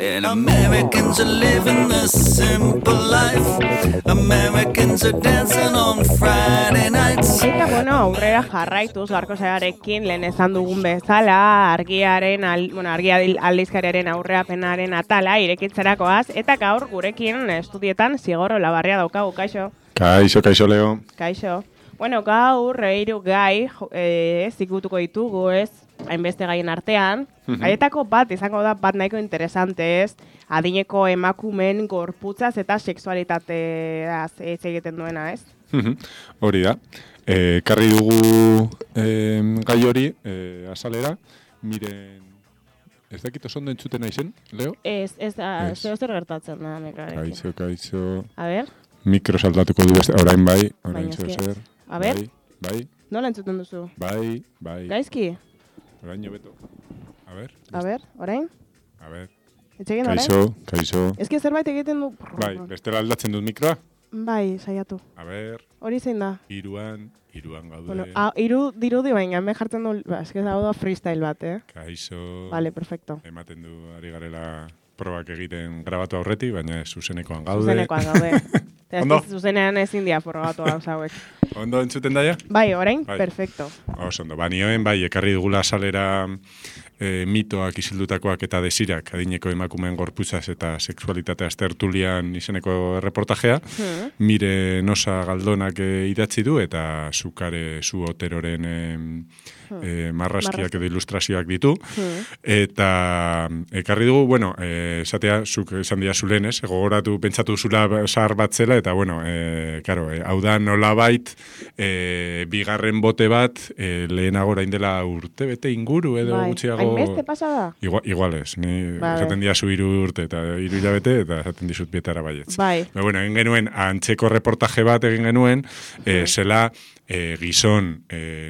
And Americans are living the simple life. Americans are dancing on Friday nights. Eta, bueno, aurrera jarraituz garko zearekin lehen esan dugun bezala, argiaren aldizkariaren aurreapenaren atala irekitzerakoaz, eta gaur gurekin estudietan Zigor Olabarria daukagu, kaixo? Kaixo, Leo. Kaixo. Bueno, gaur hiru gai zikutuko ditugu, ez? Hainbeste gaien artean. Haietako bat izango da bat nahiko interesante, ez? Adineko emakumeen gorputzaz eta sexualitateaz egiten duena, ez? Hori da. Karri dugu gai hori azalera. Miren, ez dakit oso ondo entzuten naizen, Leo? Ez zer gertatzen da, nekarekin. Kaixo. A ber? Mikro saltatuko du beste, orain bai, orain zer. A ber? Bai. Nola entzuten duzu? Bai. Gaizki? Orain beto. A ber, orain? A ber. Etxegin orain? Kaixo. Ez ki zerbait egiten du... Bai, bestela aldatzen dut mikroa? Bai, saiatu. A ber. Hori zein da? Iruan gaude. Bueno, dirudi baina, me jartzen du... Ez que dago da freestyle bat, Kaixo. Vale, perfecto. Ematen du ari garela probak egiten grabatu aurretik, baina zuzenekoan gaude. Zuzenekoan gaude. Ondo? Zuzenean ezin dia probatu gauza hauek. Ondo entzuten daia? Bai, orain, perfecto. Oso ondo, nioen bai, ekarri dugula salera mitoak izildutakoak eta desirak adineko emakumeen gorputzaz eta sexualitateaz tertulian izeneko reportajea. Mire Nosa Galdonak idatzi du eta Zukare Zu Oteroren marrazkiak edo ilustrazioak ditu. Eta ekarri dugu, bueno, esatea, zuk esan dira zulen, ez? Gogoratu, pentsatu zula zahar bat zela, eta, bueno, hau da nolabait, bigarren bote bat, lehenago orain dela urte bete inguru, edo gutxiago... Hainbeste pasada? Igual ez, ni esaten dira zu 3 urte eta 3 hilabete, eta esaten dizut bietara baietz. Bai. Bueno, egin genuen, antzeko reportaje bat egin genuen, zela gizon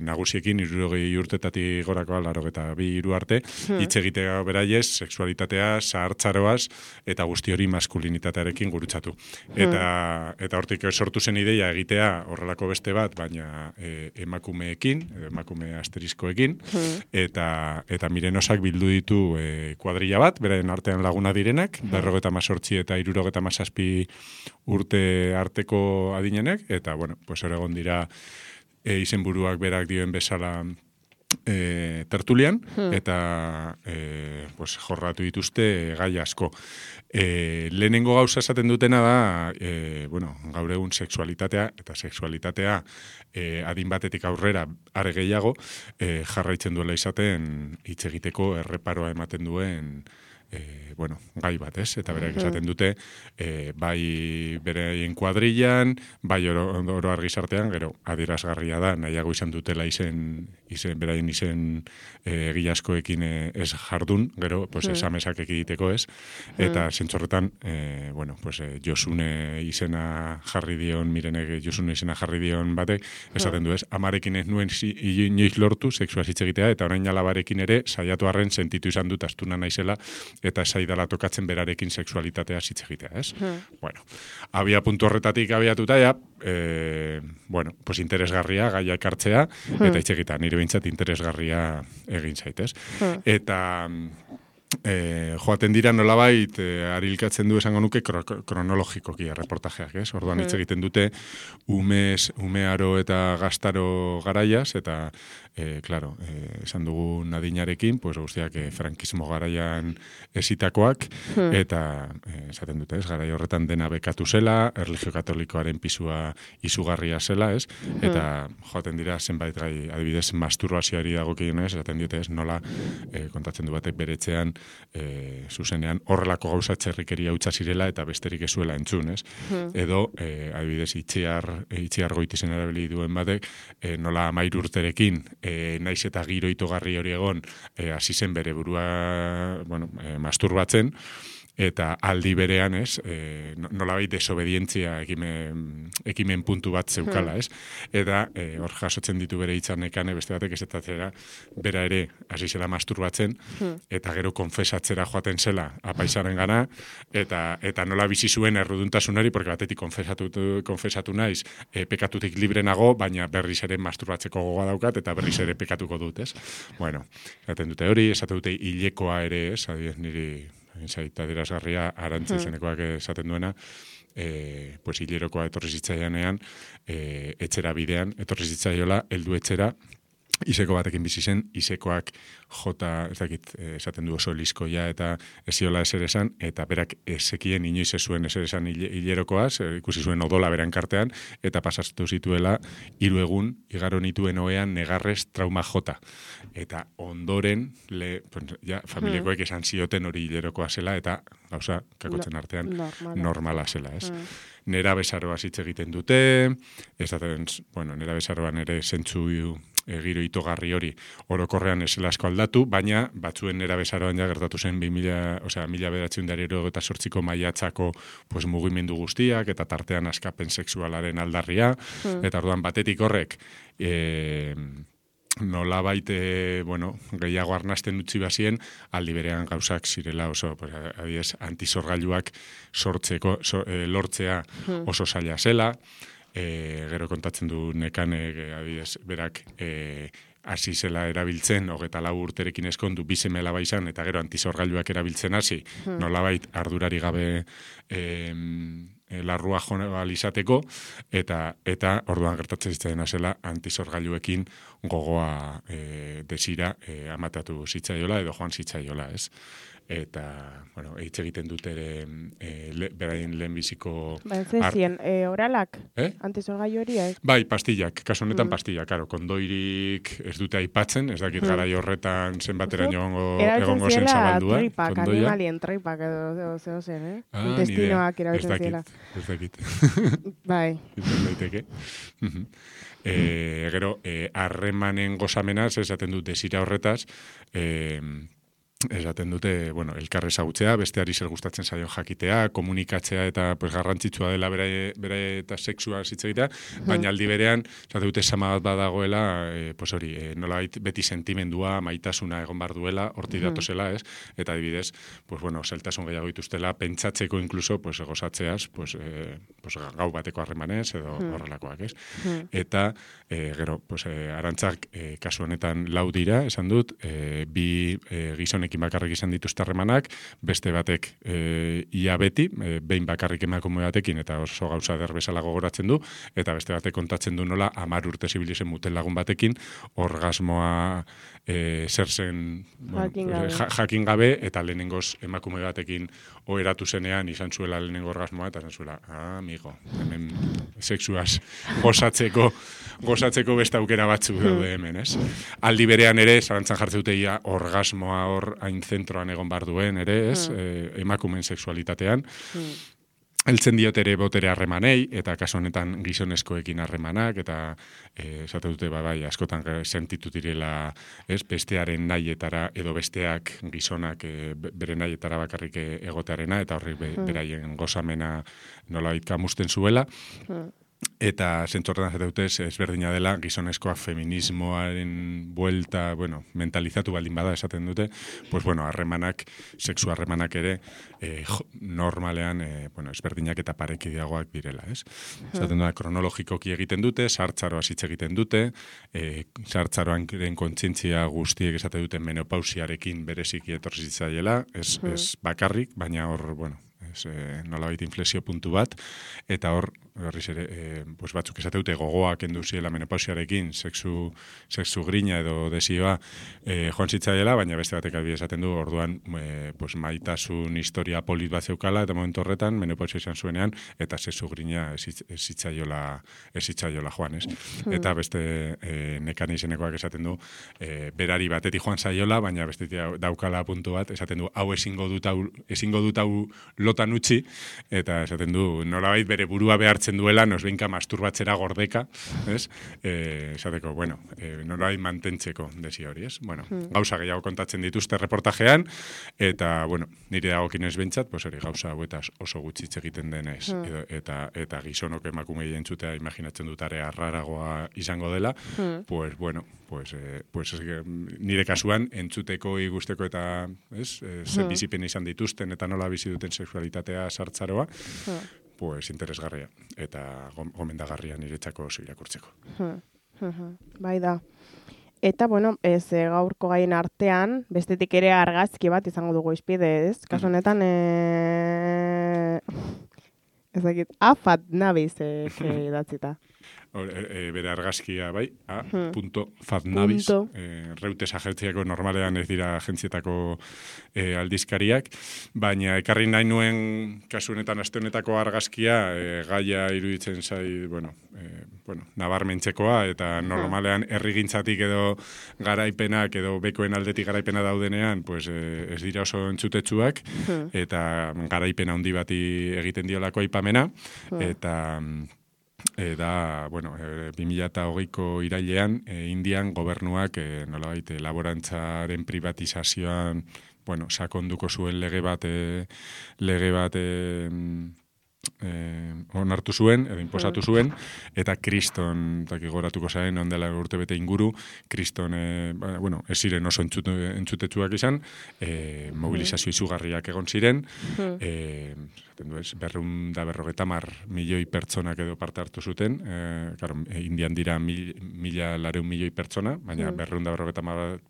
nagusiekin 60 urtetatik gorakoa, 82 arte, hitz egitea beraiez, sexualitatea, zahartzaroaz, eta guzti hori maskulinitatearekin gurutzatu. Eta hortik sortu zen ideia egitea horrelako beste bat, baina emakumeekin, emakume asteriskoekin, eta Mirenosak bildu ditu kuadrilla bat, beraien artean laguna direnak, 58 eta 67 urte arteko adinenek, eta, bueno, pues egon dira izenburuak berak dioen bezala tertulian, eta pues, jorratu dituzte gai asko. Lehenengo gauza esaten dutena da, bueno, gaur egun sexualitatea, eta sexualitatea adin batetik aurrera are gehiago, jarraitzen duela izaten hitz egiteko erreparoa ematen duen bueno, gai bat, ez? Eta berak esaten dute, bai beraien kuadrillan, bai oro argizartean, gero adierazgarria da, nahiago izan dutela beraien izen egiazkoekin ez jardun, gero, pues, esamesak egiteko, ez? Eta zentzorretan, bueno, pues, Josune izena jarri dion, Mirenek Josune izena jarri dion batek, esaten du, ez? Amarekin ez nuen inoiz lortu, sexua hitz egitea, eta orain alabarekin ere, saiatu arren sentitu izan dut astuna naizela, eta saidala tokatzen berarekin sexualitatea hitz egitea, ez? Bueno, abia puntu horretatik abiatuta, ja, bueno, pues interesgarria, gaia ekartzea, eta hitz egitea, nire behintzat interesgarria egin zaitez. Eta joaten dira nolabait, arilkatzen du esango nuke kronologikoki reportajeak, ez? Orduan hitz egiten dute umearo eta gaztaro garaiaz, eta claro, esan dugu nadinarekin, pues guztiak frankismo garaian esitakoak, eta esaten dute, ez, garai horretan dena bekatu zela, erlijio katolikoaren pisua izugarria zela, ez, eta joaten dira zenbait gai, adibidez, masturbazioari dagokionez, esaten dute, ez, nola kontatzen du batek beretzean, zuzenean horrelako gauza txerrikeria hutsa zirela eta besterik ezuela entzun, ez, edo, adibidez, itxiar goitizen erabili duen batek, nola 13 urterekin, naiz eta giro itogarri hori egon, hasi zen bere burua, bueno, masturbatzen, eta aldi berean, ez, nolabait desobedientzia ekimen puntu bat zeukala, ez? Eta hor jasotzen ditu bere hitzanekan beste batek esetatzera, bera ere hasi zela masturbatzen, eta gero konfesatzera joaten zela apaizaren gana, eta nola bizi zuen erruduntasunari, porque batetik konfesatu naiz, pekatutik libre nago, baina berriz ere masturbatzeko gogoa daukat, eta berriz ere pekatuko dut, ez? Bueno, esaten dute hori, esaten dute hilekoa ere, ez, adibidez niri zaita dirazgarria, Arantzi izenekoak esaten duena, pues hilerokoa etorri zitzaianean, etxera bidean, etorri zitzaiola, heldu etxera, Iseko batekin bizi zen, Isekoak jota, ez dakit, esaten du oso liskoia eta eziola ezer esan, eta berak ezekien inoiz ez zuen ezer esan hilerokoaz, ikusi zuen odola beran kartean, eta pasatu zituela 3 egun igaro nituen oean negarrez trauma jota. Eta ondoren, familiakoek esan zioten hori hilerokoa zela, eta gauza, kakotzen artean, normala zela, ez? Nera bezaroa hitz egiten dute, nera bezaroan ere zentzu giro itogarri hori orokorrean ez asko aldatu, baina batzuen nera bezaroan ja gertatu zen 1998ko maiatzako pues, mugimendu guztiak, eta tartean askapen sexualaren aldarria, eta orduan batetik horrek nolabait, gehiago arnasten utzi bazien, aldi berean gauzak zirela oso, adibidez, antizorgailuak lortzea oso zaila zela, gero kontatzen du Nekanek, adibidez, berak hasi zela erabiltzen, 24 urterekin eskondu, 2 seme alaba izan, eta gero antizorgailuak erabiltzen hasi, nolabait ardurari gabe larrua joan izateko, eta orduan gertatzen zitzaiena zela antizorgailuekin gogoa desira amatatu zitzaiola edo joan zitzaiola, ez? Eta, hitz egiten dut ere beraien lehenbiziko... Zezien, oralak? Antizorgailu hori, ez? Bai, pastillak, kasu honetan pastillak, karo, kondoirik ez dute aipatzen, ez dakit garai horretan zenbateraino egongo zen zabaldua. Erabiltzen ziela tripak, animalien tripak edo zeo zen, intestinoak erabiltzen ziela. Ez dakit. Bai. Izan daiteke. Gero, harremanen gozamenaz, esaten dut desira horretaz, esaten dute, elkar ezagutzea, besteari zer gustatzen zaion jakitea, komunikatzea eta pues, garrantzitsua dela bere eta sexua hitz egitea, baina aldi berean, esaten dute sama bat badagoela, pues hori, nolabait beti sentimendua, maitasuna egon bar duela, hortik datozela, ez? Eta adibidez, pues zeltasun gehiago dituztela, pentsatzeko inkluso, pues gozatzeaz, pues gau bateko harremanez edo horrelakoak, ez? Eta gero, pues Arantzak kasu honetan 4 dira, esan dut, 2 gizonek bakarrik izan dituzte harremanak, beste batek ia beti, behin bakarrik emakume batekin, eta oso gauza der bezala gogoratzen du, eta beste batek kontatzen du nola 10 urte zibilizen mutel lagun batekin, orgasmoa zer zen jakin gabe, eta lehenengoz emakume batekin oheratu zenean izan zuela lehenengo orgasmoa, eta izan zuela, amigo, hemen sexuaz gozatzeko beste aukera batzuk daude hemen, ez? Aldi berean ere, zalantzan jartzen dute ia orgasmoa hor hain zentroan egon bar duen ere, ez? Emakumen sexualitatean. Heltzen diot ere botere harremanei, eta kasu honetan gizonezkoekin harremanak, eta esate dute, askotan sentitu direla, ez, bestearen nahietara, edo besteak gizonak bere nahietara bakarrik egotearena, eta horri beraien gozamena nolabait kamusten zuela. Eta zentzorretan dutez ezberdina dela, gizonezkoa feminismoaren buelta, mentalizatu baldin bada esaten dute, pues harremanak, sexu harremanak ere, normalean, ezberdinak eta parekideagoak direla, ez? Esaten da, kronologikoki egiten dute, sartzaroa hitz egiten dute, sartzaroan kontzientzia guztiek esaten dute menopausiarekin bereziki etorri zitzaiela, ez bakarrik, baina hor, nolabait inflexio puntu bat, eta hor, berriz ere, batzuk esate dute gogoak enduziela menopausiarekin, sexu grina edo desioa joan zitzaiela, baina beste batek adibidez esaten du, orduan maitasun historia polit bat zeukala, eta momentu horretan, menopausia izan zuenean, eta sexu grina ez zitzaiela joan, ez? Eta beste Nekan izenekoak esaten du, berari batetik joan zaiola, baina beste daukala puntu bat, esaten du, hau ezingo dut hau lotan utzi, eta esaten du, nolabait bere burua behartzen duela, nosbenka masturbatzera gordeka, ez? Esateko, nolabait mantentzeko desio hori, ez? Gauza gehiago kontatzen dituzte reportajean, eta, nire dagokinez bentsat, hori gauza hauetaz oso gutxi hitz egiten denez, eta gizonok emakumei entzutea imaginatzen dut area raragoa izango dela, nire kasuan entzuteko igusteko eta bizipen izan dituzten eta nola bizi duten sexualitatea sartzaroa, interesgarria eta gomendagarria niretzako oso irakurtzeko. Bai da. Eta, bueno, gaurko gaien artean, bestetik ere argazki bat izango dugu izpide, ez? Kasu honetan, ez dakit, afat nabiz idatzita. Bere argazkia, bai, a.fatnabiz, reutez agentziako normalean ez dira agentzietako aldizkariak, baina ekarri nahi nuen kasu honetan aste honetako argazkia gaia iruditzen zai, nabarmentzekoa, eta normalean herrigintzatik edo garaipenak edo bekoen aldetik garaipena daudenean, pues, ez dira oso entzutetsuak, eta garaipena handi bati egiten diolako aipamena, eta da, 2020ko irailean, Indian gobernuak nolabait laborantzaren privatizazioan, sakonduko zuen lege bat onartu zuen, edo inposatu zuen, eta kriston, goratuko zaren, ondela urtebete inguru, kriston, ez ziren oso entzutetsuak izan, mobilizazio izugarriak egon ziren, 250 pertsonak edo parte hartu zuten, Indian dira 1.400.000 milioi pertsona, baina 250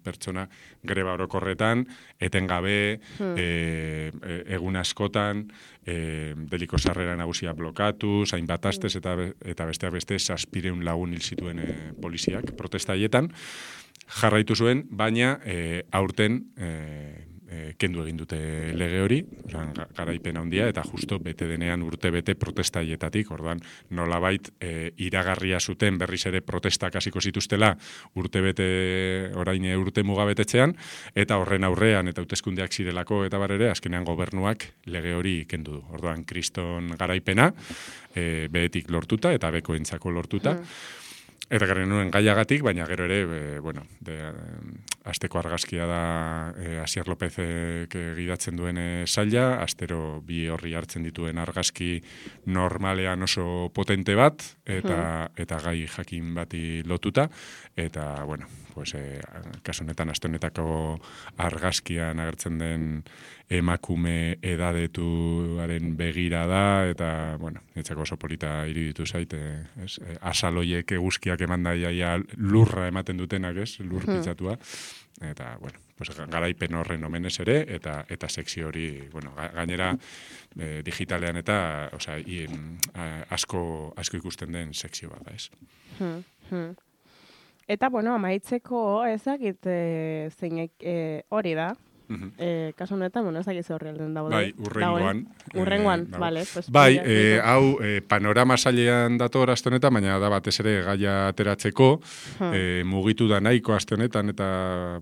pertsona greba orokorretan, etengabe, egun askotan, deliko sarrera nagusia blokatu, hainbat astez eta besteak beste 700 lagun hil zituen poliziak protesta haietan. Jarraitu zuen, baina aurten kendu egin dute lege hori, garaipen handia, eta justo bete denean urte bete protesta haietatik, orduan nolabait iragarria zuten berriz ere protestak hasiko zituztela urte bete, orain urte mugabetetzean, eta horren aurrean eta hauteskundeak zirelako eta barere, azkenean gobernuak lege hori kendu du. Orduan kriston garaipena, behetik lortuta eta bekoentzako lortuta, eta garen nuen gaiagatik, baina gero ere, asteko argazkia da Asier Lópezek gidatzen duen saila, astero bi horri hartzen dituen argazki normalean oso potente bat, eta gai jakin bati lotuta, eta, kasu honetan, aste honetako argazkian agertzen den emakume edadetuaren begira da, eta, etzako oso polita iruditu zait, asaloiek eguzkiak eman daia lurra ematen dutenak, lur pitzatua, eta, garaipen horren omenez ere, eta sekzio hori, gainera, digitalean eta, asko ikusten den sekzio bat, ez? Eta, amaitzeko ezakit zeinek hori da, kasu honetan, ezakit ze horri alden daude. Bai, urrengoan, bale. Bai, hau panorama sailean dator aste honetan, baina da batez ere gaia ateratzeko, mugitu da nahiko aste honetan, eta,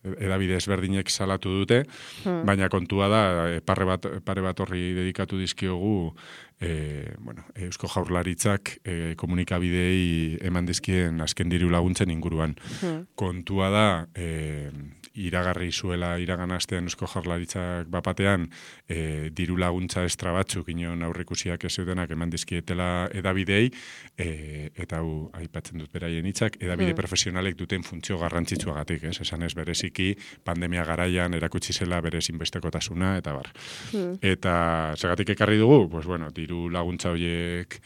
edabide ezberdinek salatu dute, baina kontua da, pare bat horri dedikatu dizkiogu, Eusko Jaurlaritzak komunikabideei eman dizkien azken diru laguntzen inguruan. Kontua da, iragarri zuela iragan astean Eusko Jaurlaritzak bapatean diru laguntza estra batzuk inon aurrikusiak ez zeudenak eman dizkietela edabideei, eta hau aipatzen dut beraien hitzak, edabide profesionalek duten funtzio garrantzitsuagatik, esan ez bereziki pandemia garaian erakutsi zela berez inbestekotasuna, eta bar. Eta segatik ekarri dugu, diru laguntza horiek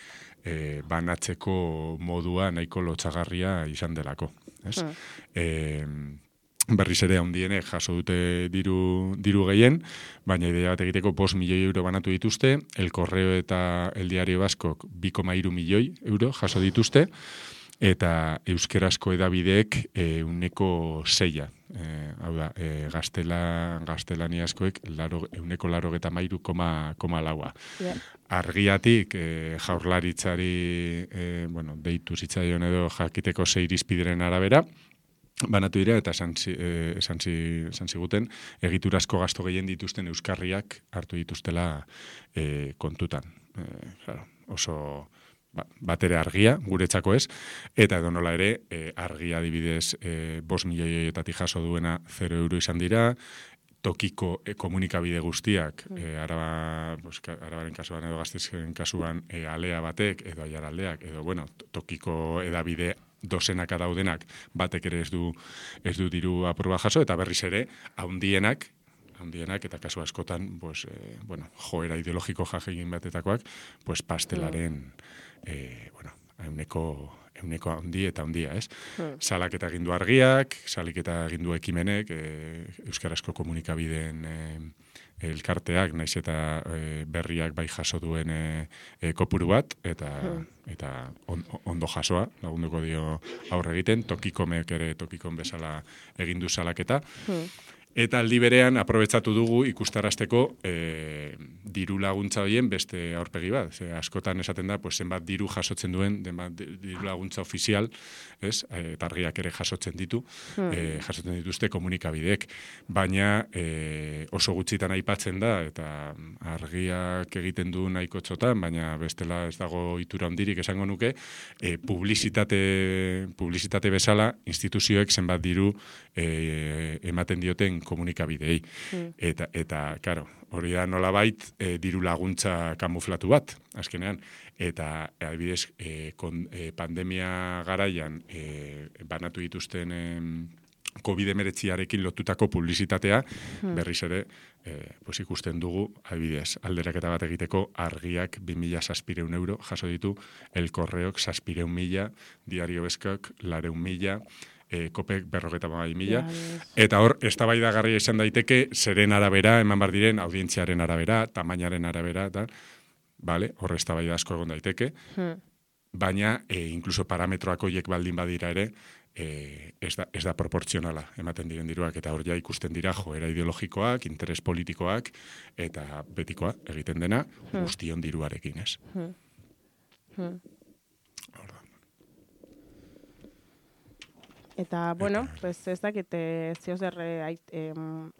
banatzeko modua nahiko lotsagarria izan delako. Berriz ere handienek jaso dute diru gehien, baina idea bat egiteko 5 milioi euro banatu dituzte, El Correo eta El Diario Baskok 2,3 milioi euro jaso dituzte, eta euskerazko edabideek 1,6. Hau da, gaztelaniazkoek 1,83,4. Argiatik Jaurlaritzari deitu zitzaion edo jakiteko 6 irizpideren arabera, banatu dira, eta esan ziguten, egiturazko gasto gehien dituzten euskarriak hartu dituztela kontutan. Oso batere argia, guretzako ez, eta edo nola ere, argia adibidez 5 milioietatik jaso duena 0 euro izan dira, tokiko komunikabide guztiak, Arabaren kasuan edo Gasteizen kasuan alea batek, edo Aiaraldeak, edo tokiko edabide dozenaka daudenak, batek ere ez du diru aproba jaso, eta berriz ere, handienak, eta kasu askotan, joera ideologiko jagegin batetakoak, pastelaren, euneko handi eta handia, ez? Salaketa egin du Argiak, salaketa egin du Ekimenek, euskarazko komunikabideen elkarteak, naiz eta berriak bai jaso duen kopuru bat, eta ondo jasoa, lagunduko dio aurre egiten, Tokikomek ere Tokikon bezala egin du salaketa. Eta aldi berean, aprobetsatu dugu ikustarazteko diru laguntza horien beste aurpegi bat. Askotan esaten da, pues, zenbat diru jasotzen duen, diru laguntza ofizial, ez? Eta Argiak ere jasotzen jasotzen dituzte komunikabideek. Baina oso gutxitan aipatzen da, eta Argiak egiten du nahiko txotan, baina bestela ez dago itura handirik esango nuke, publizitate bezala, instituzioek zenbat diru ematen dioten komunikabideei. Eta claro, hori da nolabait diru laguntza kamuflatu bat, azkenean. Eta, adibidez, pandemia garaian banatu dituzten COVID-19arekin lotutako publizitatea, berriz ere, pues ikusten dugu, adibidez, alderaketa bat egiteko Argiak 2.600 euro jaso ditu, El Correok 600.000, Diario Beskok 400.000, Kopek 50.000, eta hor, eztabaidagarria izan daiteke, zeren arabera, eman bar diren, audientziaren arabera, tamainaren arabera, eta, vale, hor eztabaida asko egon daiteke, baina, inkluso parametroak horiek baldin badira ere, ez da proportzionala ematen diren diruak, eta hor ja ikusten dira joera ideologikoak, interes politikoak, eta betikoa egiten dena, guztion diruarekin, ez? Eta, bueno, pues ez dakit ziozer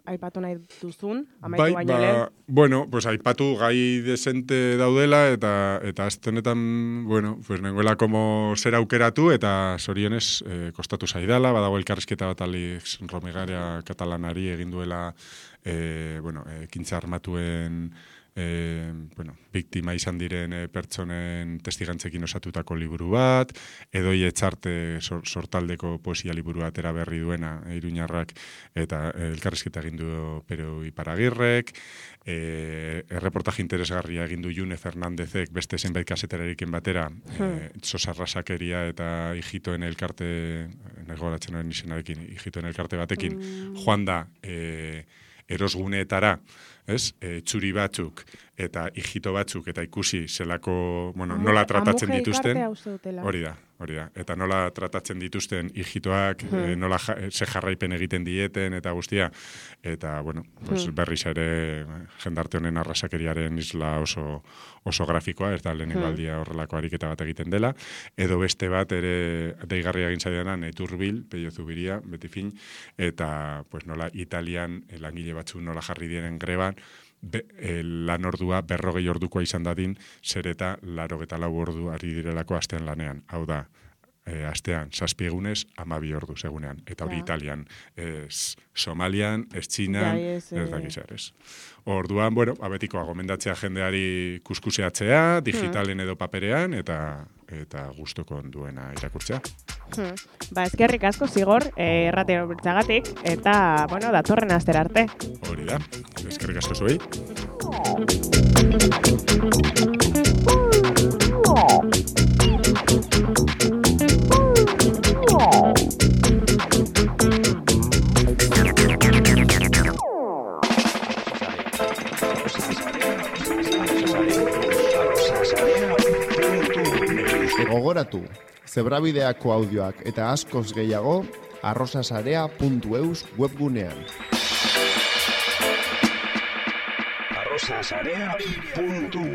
aipatu nahi duzun, amaitu baino lehen. Bueno, pues aipatu gai desente daudela, eta aztenetan, bueno, pues nengoela como zer aukeratu, eta zorionez kostatu zaidala, badago elkarrizketa bat Alex Romegaria katalanari egin duela, ekintza armatuen biktima izan diren pertsonen testigantzekin osatutako liburu bat, Edoi Etxarte sortaldeko poesia liburu atera berri duena Iruñarrak, eta elkarrizketa egin du Pero Iparagirrek, erreportaje interesgarria egin du June Fernandezek beste zenbait kaseterarekin batera, Sosarrasakeria eta Ijitoen elkarte, negoratzen horren izenarekin, Ijitoen elkarte batekin, joan da erosguneetara, txuri batzuk eta ijito batzuk eta ikusi zelako, nola tratatzen dituzten. Hori da. Eta nola tratatzen dituzten ijitoak, nola ze jarraipen egiten dieten eta guztia. Eta, berriz ere jendarte honen arrasakeriaren isla oso grafikoa, ez da lehenengo aldia horrelako ariketa bat egiten dela. Edo beste bat ere deigarria egin zaidanan, Iturbil, Pello Zubiria, beti fin, eta nola Italian langile batzu nola jarri diren greban, lan ordua 40 ordukoa izan dadin, zer eta 84 ordu ari direlako astean lanean. Hau da, astean 7 egunez 12 ordu segunean. Eta hori Italian, ez Somalian, ez Txinan, ez dakizar, ez. Orduan, abetikoa gomendatzea jendeari kuskuseatzea, digitalen edo paperean, eta gustoko duena irakurtzea. Eskerrik asko Zigor, erratero bertzagatik, eta, datorren astera arte. Hori da, eskerrik asko zuei. Gogoratu, Zebrabideako audioak eta askoz gehiago arrosasarea.eus webgunean. arrosasarea.eus